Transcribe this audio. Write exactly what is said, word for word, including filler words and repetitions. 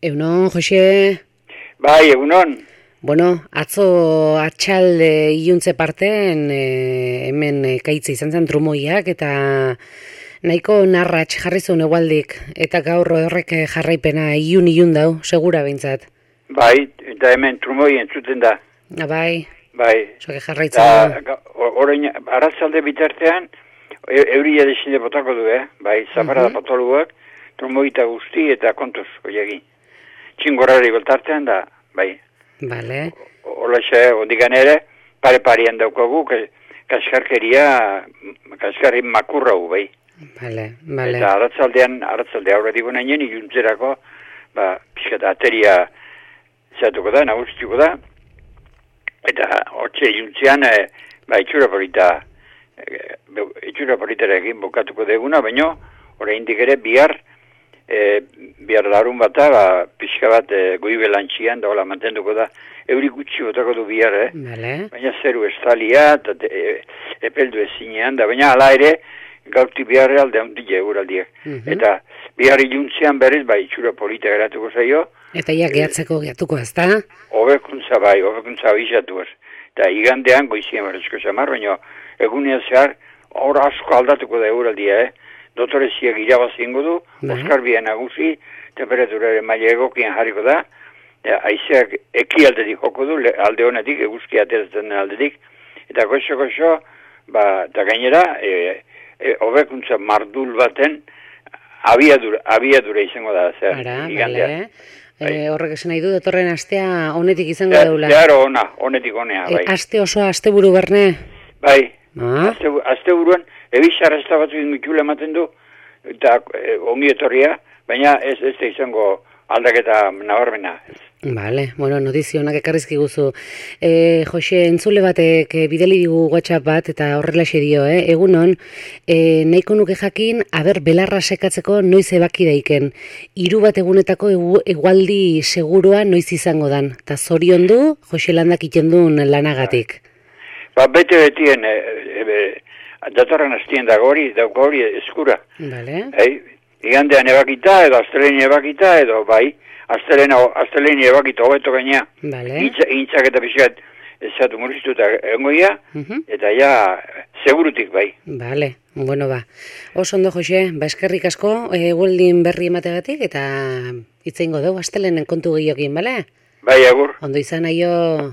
Egunon, Jose? Bai, egunon. Bueno, atzo atxalde iluntze parten e, hemen ekaitzi izan zen trumoiak eta nahiko narratx jarri zuen egualdik eta gaur horrek jarraipena ilun ilun dau, segura behintzat. Bai, eta hemen trumoi entzuten da. Ah, bai, Bai. soke jarraitzen. Da, orain, arratzalde bitartean, e, euria desinde botako du, eh? Bai, zaparada uh -huh. potoluak, trumoita guzti eta kontuz, oiegi. Txingorrari beltartean da, bai. Bale. Olaxe, ondikan ere, pare-parian daukagu, kaskarkeria, kaskarri makurrau, bai. Bale, bale. Eta arratzaldean, arratzaldea aurretik nainen, iluntzerako, ba, pixkat ateria zatuko da, nagustiko da, eta hortxe iluntzean, e, ba, itxura polita, e, itxura politarekin bukatuko deguna, baina, oraindik ere, bihar, e, bihar larun bata, ba, pixka bat e, goibelantxian, da hola mantenduko da, euri gutxi botako du bihar, eh? Bale. Baina zeru estalia, eta e, epeldu ezinean, da baina ala ere, gauti biharre alde handile euraldiak. Uh -huh. Eta bihar iluntzean berriz, ba, itxura polita geratuko zaio. Eta ia gehatzeko geatuko ez da? Hobekuntza bai, hobekuntza abizatu ez. Eta igandean goizien berrezko zamar, baina egunean zehar, hor asko aldatuko da euraldia, eh? Dotoreziak irabazingo du, Oskar Bien nagusi, temperaturaren maila egokian jarriko da, haizeak eki aldetik joko du, alde honetik, eguzki ateratzen aldetik, eta goxo-goxo, ba, eta gainera, e, e, hobekuntza mardul baten abiadura, abiadura izango da, zer, Ara, igandean. Bale. E, horrek esan nahi du, datorren astea honetik izango Ze, daula. Zeharo ona, honetik honea, bai. E, aste osoa, aste buru berne? Bai, Ah? azte, azte buruan, ebizarra ez da batzu ingutxula ematen du, eta e, ongi etorria, baina ez ez da izango aldaketa nabarmena. Bale, bueno, notizio honak ekarrizki guzu. E, Jose, entzule batek e, bideli digu WhatsApp bat eta horrelaxe dio, eh? Egunon, e, nahiko nuke jakin, aber belarra sekatzeko noiz ebaki daiken. Hiru bat egunetako egu, egualdi segurua noiz izango dan. Ta zorion du, Jose landak iten duen lanagatik. Ba, bete-betien, e, e, e, datorren hastien dago hori, dauko hori eskura. Bale. Hey, igandean ebakita, edo asteleni ebakita, edo bai, asteleni ebakita hobeto gaina. Bale. Intzak eta pixkat ezatu murriztuta engoia, uh -huh. eta ja, segurutik bai. Bale, bueno ba. Oso ondo, Jose, ba eskerrik asko, egualdin berri emategatik, eta itzeingo dugu astelenen kontu gehiokin, bale? Bai, agur. Ondo izan aio.